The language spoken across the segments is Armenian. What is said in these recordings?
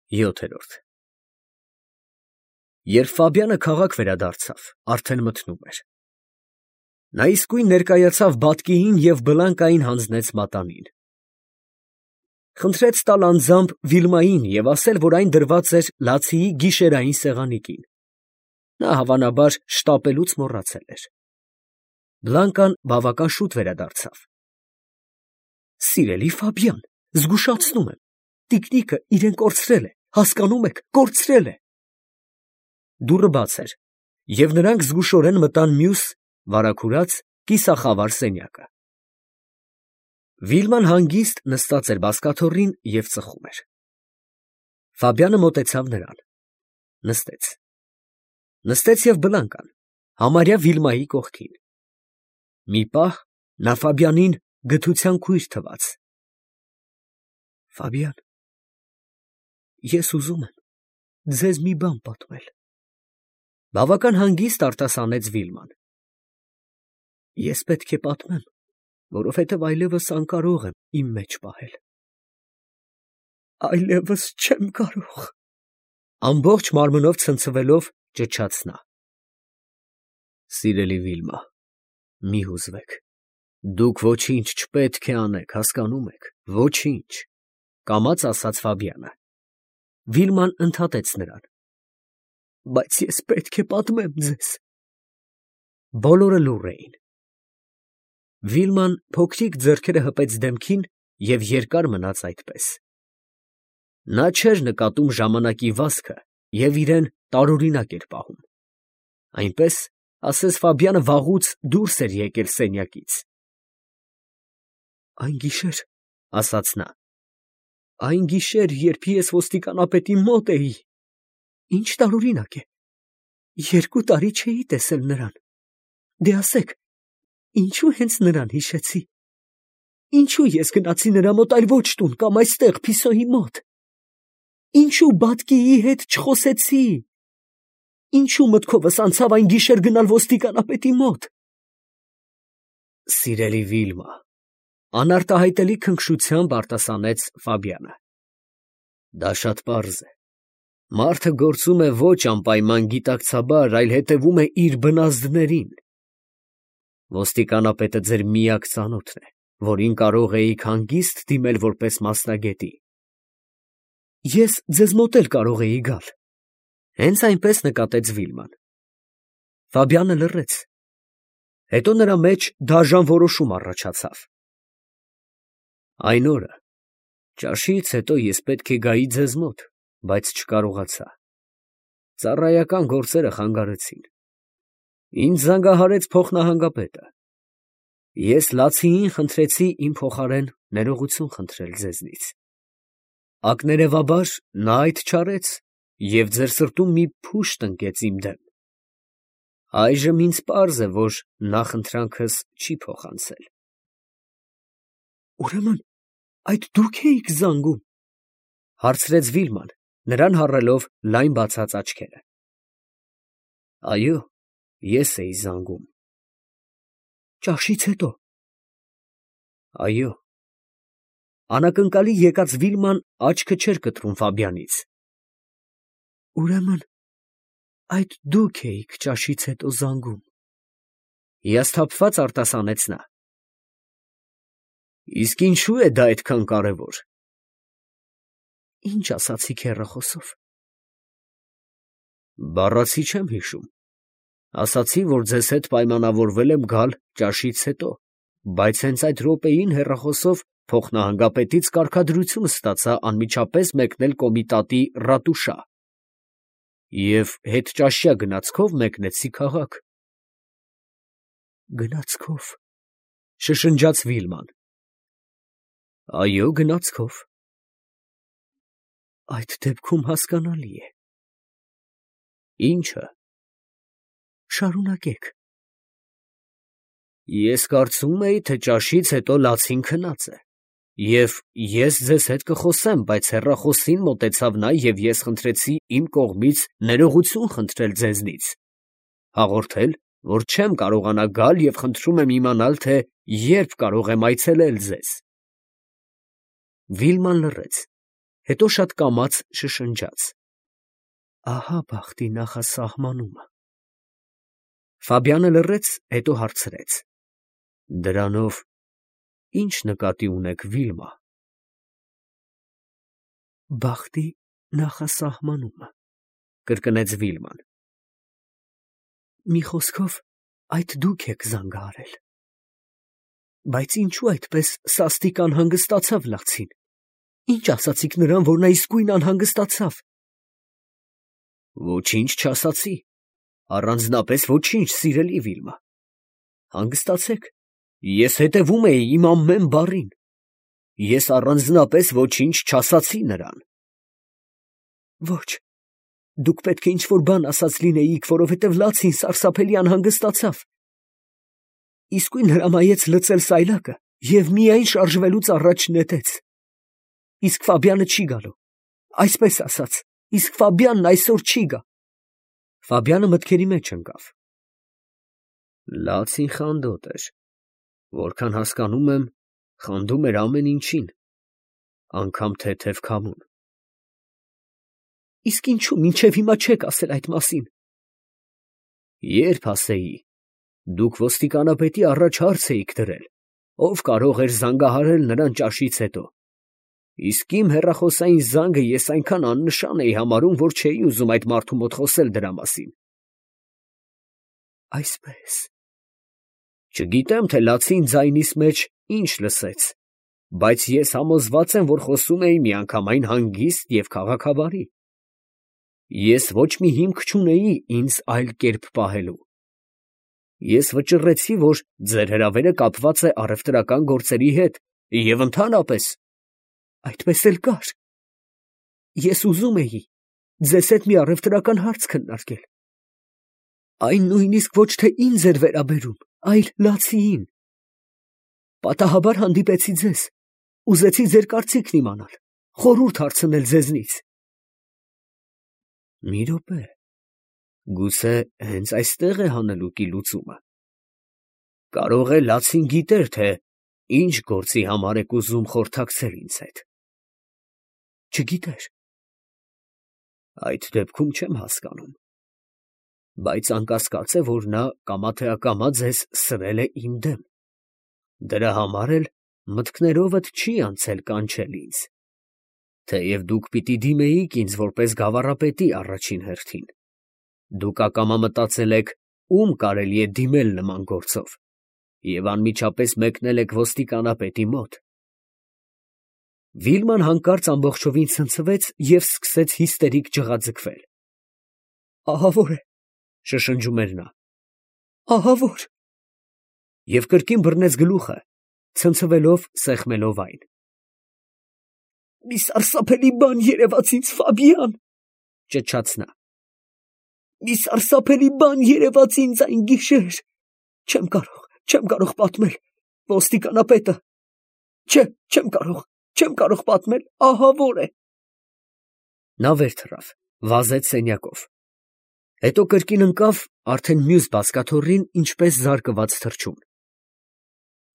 7-րդ Երբ Ֆաբյանը քաղաք վերադարձավ, արդեն մթնում էր։ Նա իսկույն ներկայացավ բատկիին և Բլանկային հանձնեց մատանին։ Խնդրեց տալ անձամբ Վիլմային և ասել, որ այն դրված էր լացիի գիշերային սեղանի կին։ Նա հավանաբար շտապելուց մոռացել էր։ Բլանկան բավական շուտ վերադարձավ։ Սիրելի Ֆաբյան, զգուշացնում եմ, տիկնիկը իրեն կորցրել է, հասկանում եք, կորցրել է։ Դուռը բաց էր, և նրանք զգուշորեն մտան մյուս, վարագուրած, կիսախավար սենյակը։ Վիլման հանգիստ նստած էր բազկաթոռին և ծխում էր։ Ֆաբյանը մոտեցավ նրան, նստեց։ Նստեց և Բլանկան, համարյա Վիլմայի կողքին։ Մի պահ նա Ֆաբյանին գթության քույր թվաց։ Ֆաբյան, ես ուզում եմ ձեզ մի բան պատմել։ Բավական հանգիստ արտասանեց Վիլման։ Ես պետք է պատմեմ, որովհետև այլևս անկարող եմ իմ մեջ պահել։ Այլևս չեմ կարող, ամբողջ մարմնով ցնցվելով ճչաց նա։ Սիրելի Վիլմա, մի հուզվեք, դուք ոչինչ չպետք է անեք, հասկանում եք, ոչինչ, կամաց ասաց Ֆաբյանը։ Վիլման ընդհատեց նրան։ Բայց ես պետք է պատմեմ ձեզ։ Բոլորը լուռ էին։ Վիլման փոքրիկ ձեռքերը հպեց դեմքին և երկար մնաց այդպես։ Նա չէր նկատում ժամանակի վազքը և իրեն տարօրինակ էր պահում։ Այնպես, ասես Ֆաբյանը վաղուց դուրս էր եկել սենյակից։ Այն գիշեր, ասաց նա, այն գիշեր, երբ ես ոստիկանապետի մոտ էի, ինչ տարօրինակ է, 2 տարի չէի տեսել նրան։ Դե ասեք, ինչու հենց նրան հիշեցի։ Ինչու ես գնացի նրա մոտ, այլ ոչ տուն կամ այստեղ Փիսոյի մոտ։ Ինչու բատկիի հետ չխոսեցի։ Ինչու մտքովս անցավ այն գիշեր գնալ ոստիկանապետի մոտ։ Սիրելի Վիլմա, անարտահայտելի քնքշությամբ արտասանեց Ֆաբյանը։ Դա շատ պարզ է։ Մարդը գործում է ոչ անպայման գիտակցաբար, այլ հետևում է իր բնազդներին։ Ոստիկանապետը ձեր միակ ծանոթն է, որին կարող էիք հանգիստ դիմել որպես մասնագետի։ Ես ձեզ մոտ էլ կարող էի գալ։ Հենց այնպես նկատեց Վիլման։ Ֆաբյանը լռեց։ Հետո նրա մեջ դաժան որոշում առաջացավ։ Այն օրը ճաշից հետո ես պետք է գայի ձեզ մոտ, բայց չկարողացա։ Ծառայական գործերը խանգարեցին։ Ինձ զանգահարեց փոխնահանգապետը։ Ես լացիին խնդրեցի իմ փոխարեն ներողություն խնդրել ձեզնից։ Ակներևաբար նա այդ չարեց և ձեր սրտում մի փուշտ ընկեց իմ դեմ։ Այժմ ինձ պարզ է, որ նախընտրանքս չի փոխանցել։ Ուրեմն այդ դուք էիք զանգում, հարցրեց Վիլման, նրան հառելով լայն բացած աչքերը։ Այո, ես էի զանգում։ Ճաշից հետո։ Այո։ Անակնկալի եկած Վիլման աչքը չէր կտրում Ֆաբյանից։ Ուրեմն այդ դուք էիք ճաշից հետո զանգում։ Հիասթափված արտասանեց նա։ Իսկ ինչու է դա այդքան կարևոր։ Ինչ ասացիք հեռախոսով։ Բառացի չեմ հիշում։ Ասացի, որ ձեզ հետ պայմանավորվել եմ գալ ճաշից հետո, բայց հենց այդ րոպեին հեռախոսով փոխնահանգապետից կարգադրություն ստացա անմիջապես մեկնել կոմիտատի ռատուշա և հետճաշյա գնացքով մեկնեցի քաղաք։ Գնացքով, շշնջաց Վիլման։ Այո, գնացքով։ Այդ դեպքում հասկանալի է։ Ի՞նչը։ Շարունակեք։ Ես կարծում էի, թե ճաշից հետո լացին քնած է, և ես ձեզ հետ կխոսեմ, բայց հեռախոսին մոտեցավ նա և ես խնդրեցի իմ կողմից ներողություն խնդրել ձեզնից, հաղորդել, որ չեմ կարողանա գալ և խնդրում եմ իմանալ, թե երբ կարող եմ այցելել ձեզ։ Վիլման լռեց, Հետո շատ կամաց շշնջաց. ահա բախտի նախասահմանումը։ Ֆաբյանը լռեց, հետո հարցրեց. դրանով ի՞նչ նկատի ունեք, Վիլմա։ Բախտի նախասահմանումը, կրկնեց Վիլման։ Մի խոսքով, այդ դուք եք զանգահարել։ Բայց ինչու այդպես սաստիկ անհանգստացավ Լացին։ Ինչ ասացիք նրան, որ նա իսկույն անհանգստացավ։ Ոչինչ չասացի, առանձնապես ոչինչ, սիրելի Վիլմա։ Հանգստացեք, ես հետևում էի իմ ամեն բառին։ Ես առանձնապես ոչինչ չասացի նրան։ Ոչ, դուք պետք է ինչ-որ բան ասած լինեիք, որովհետև Լացին սարսափելի անհանգստացավ։ Իսկույն հրամայեց լցել սայլակը և միայն շարժվելուց առաջ նետեց։ Իսկ Ֆաբյանը չի գալու, այսպես ասած, իսկ Ֆաբյանն այսօր չի գա։ Ֆաբյանը մտքերի մեջ ընկավ։ Լացին խանդոտ էր, որքան հասկանում եմ, խանդում էր ամեն ինչին, անգամ թեթև քամուն։ Իսկ ինչու մինչև հիմա չեք ասել այդ մասին։ Երբ ասեի, դուք ոստիկանապետի առաջ հարց էիք դրել, ով կարող էր զանգահարել նրան ճաշից հետո։ Իսկ իմ հեռախոսային զանգը ես այնքան աննշան էի համարում, որ չէի ուզում այդ մարդու մոտ խոսել դրա մասին։ Այսպես։ Չգիտեմ, թե Լացին ձայնիս մեջ ինչ լսեց, բայց ես համոզված եմ, որ խոսում էի միանգամայն հանգիստ և քաղաքավարի։ Ես ոչ մի հիմք չունեի ինձ այլ կերպ պահելու։ Ես վճռեցի, որ ձեր հրավերը կապված է առևտրական գործերի հետ և ընդհանրապես այդպես էլ կար։ Ես ուզում էի ձեզ հետ մի առևտրական հարց քննարկել։ Այն նույնիսկ ոչ թե ինձ էր վերաբերում, այլ Լացիին։ Պատահաբար հանդիպեցի ձեզ, ուզեցի ձեր կարծիքն իմանալ, խորհուրդ հարցնել ձեզնից։ Մի րոպե, գուցե հենց այստեղ է հանելուկի լուծումը։ Կարող է Լացին գիտեր, թե ինչ գործի համար եք ուզում խորհրդակցել ինձ հետ։ Չգիտեր։ Այդ դեպքում չեմ հասկանում։ Բայց անկասկած է, որ նա կամա թե ակամա ձեզ սրել է իմ դեմ։ Դրա համար էլ մտքներովդ չի անցել կանչել ինձ։ Թեև դուք պիտի դիմեիք ինձ որպես գավառապետի առաջին հերթին։ Դուք ակամա մտածել եք, ում կարելի է դիմել նման գործով, և անմիջապես մեկնել եք ոստիկանապետի մոտ։ Վիլման հանկարծ ամբողջովին ցնցվեց և սկսեց հիստերիկ ջղաձգվել։ Ահավոր է, շշնջում էր նա։ Ահավոր։ Եվ կրկին բռնեց գլուխը, ցնցվելով, սեղմելով այն։ Մի սարսափելի բան երևաց ինձ, Ֆաբյան, ճչաց նա։ Մի սարսափելի բան երևաց ինձ այն գիշեր։ Չեմ կարող պատմել, ոստիկանապետը։ Չէ, չեմ կարող պատմել, ահավոր է։ Նա վեր թռավ, վազեց սենյակով։ Հետո կրկին ընկավ արդեն մյուս բազկաթոռին, ինչպես զարկված թռչուն։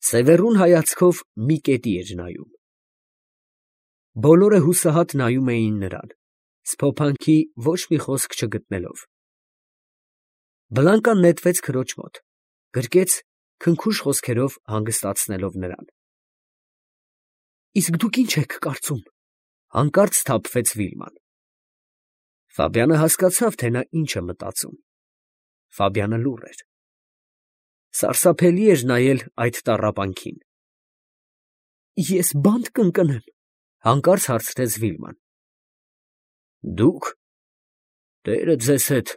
Սևեռուն հայացքով մի կետի էր նայում։ Բոլորը հուսահատ նայում էին նրան, սփոփանքի ոչ մի խոսք չգտնելով։ Բլանկան նետվեց քրոջ մոտ, գրկեց, քնքուշ խոսքերով հանգստացնելով նրան։ Իսկ դուք ինչ եք կարծում, հանկարծ սթափվեց Վիլման։ Ֆաբյանը հասկացավ, թե նա ինչ է մտածում։ Ֆաբյանը լուռ էր։ Սարսափելի էր նայել այդ տառապանքին։ Ես բանտ կընկնեմ, հանկարծ հարցրեց Վիլման։ Դուք։ Տերը ձեզ հետ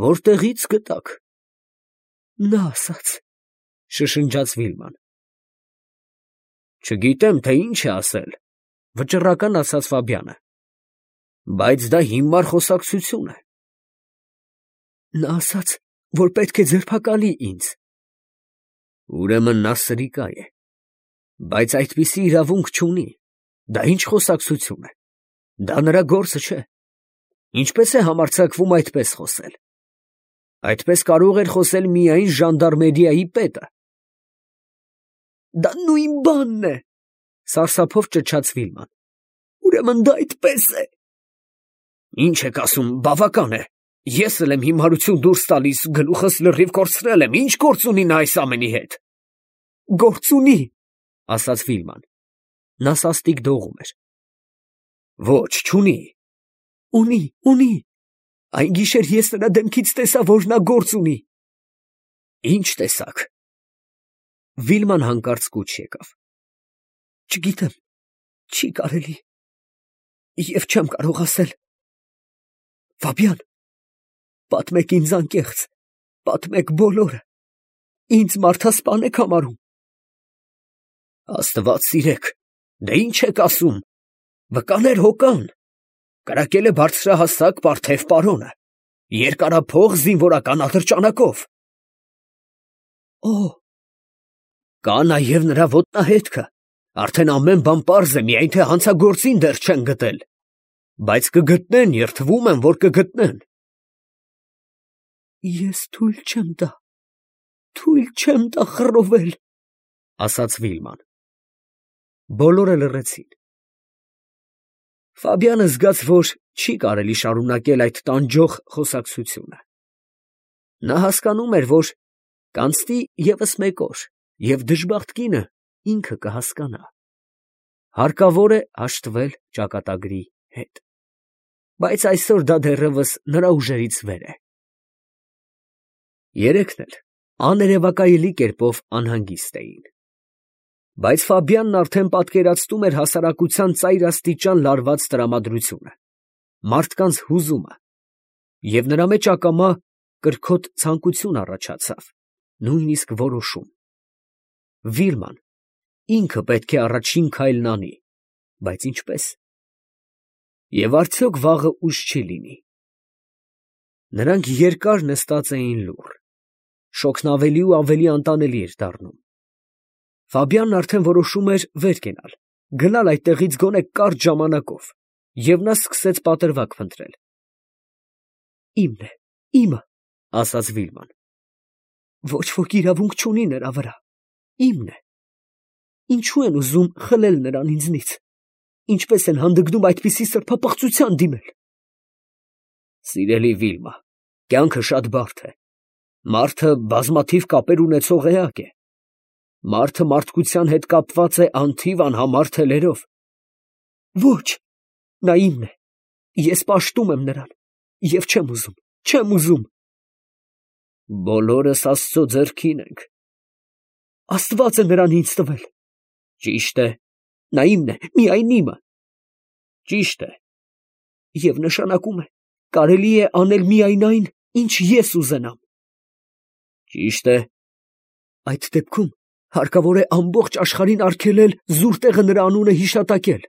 որտեղից գտաք։ Նա ասաց, շշնջաց Վիլման։ Չգիտեմ, թե ինչ է ասել, վճռական ասաց Ֆաբյանը, բայց դա հիմար խոսակցություն է։ Նա ասաց, որ պետք է ձերբակալի ինձ։ Ուրեմն նա սրիկա է, բայց այդպիսի իրավունք չունի։ Դա ինչ խոսակցություն է։ Դա նրա գործը չէ։ Ինչպես է համարձակվում այդպես խոսել։ Այդպես կարող էր խոսել միայն ժանդարմերիայի պետը։ Դա նույն բանն է, սարսափով ճչաց Վիլման։ Ուրեմն դա այդպես է։ Ինչ եք ասում, բավական է։ Ես էլ եմ հիմարություն դուրս տալիս, գլուխս լրիվ կորցրել եմ, ինչ գործ ունի նա այս ամենի հետ։ Գործ ունի, ասաց Վիլման։ Նա սաստիկ դողում էր։ Ոչ, չունի։ Ունի։ Այն գիշեր ես նրա դեմքից տեսա, որ նա գործ ունի։ Ինչ տեսակ։ Վիլման հանկարծ կուչ եկավ։ Չգիտեմ, չի կարելի։ Եվ չեմ կարող ասել։ Ֆաբյան, պատմեք ինձ անկեղծ, պատմեք բոլորը, ինձ մարդասպան եք համարում։ Աստված սիրեք, դե ինչ եք ասում, վկաներ հոգան, կրակել է բարձրահասակ Պարթև պարոնը, երկարափող զինվորական ատրճանակով։ Օ, կա նաև նրա ոտնահետքը, արդեն ամեն բան պարզ է, միայն թե հանցագործին դեռ չեն գտել, բայց կգտնեն, երդվում եմ, որ կգտնեն։ Ես թույլ չեմ տա խռովել, ասաց Վիլման։ Բոլորը լռեցին։ Ֆաբյանը զգաց, որ չի կարելի շարունակել այդ տանջող խոսակցությունը։ Նա հասկանում էր, որ կանցնի ևս մեկ օր, և դժբախտ կինը ինքը կհասկանա։ Հարկավոր է հաշտվել ճակատագրի հետ։ Բայց այսօր դա դեռևս նրա ուժերից վեր է։ Երեքն էլ աներևակայելի կերպով անհանգիստ էին։ Բայց Ֆաբյանն արդեն պատկերացնում էր հասարակության ծայրաստիճան լարված տրամադրությունը, մարդկանց հուզումը, և նրա մեջ ակամա կրքոտ ցանկություն առաջացավ, նույնիսկ որոշում։ Վիլման ինքը պետք է առաջին քայլն անի, բայց ինչպե՞ս։ Եվ արդյոք վաղը ուշ չի լինի։ Նրանք երկար նստած էին լուռ, շոգն ավելի ու ավելի անտանելի էր դառնում։ Ֆաբյանն արդեն որոշում էր վեր կենալ, գնալ այդտեղից գոնե կարճ ժամանակով, և նա սկսեց պատրվակ փնտրել։ Իմն է, իմը, ասաց Վիլման։ Ոչ ոք իրավունք չունի նրա վրա, իմն է։ Ինչու են ուզում խլել նրան ինձնից, ինչպես են հանդգնում այդպիսի սրբապղծության դիմել։ Սիրելի Վիլմա, կյանքը շատ բարդ է, մարդը բազմաթիվ կապեր ունեցող էակ է, մարդը մարդկության հետ կապված է անթիվ անհամար թելերով։ Ոչ, նա իմն է, ես պաշտում եմ նրան, և չեմ ուզում։ Բոլորս Աստծո ձեռքին ենք։ Աստված է նրան ինձ տվել։ Ճիշտ է, նա իմն է, միայն իմը։ Ճիշտ է։ Եվ նշանակում է, կարելի է անել միայն այն, ինչ ես ուզենամ։ Ճիշտ է։ Այդ դեպքում հարկավոր է ամբողջ աշխարհին արգելել զուր տեղը նրա անունը հիշատակել,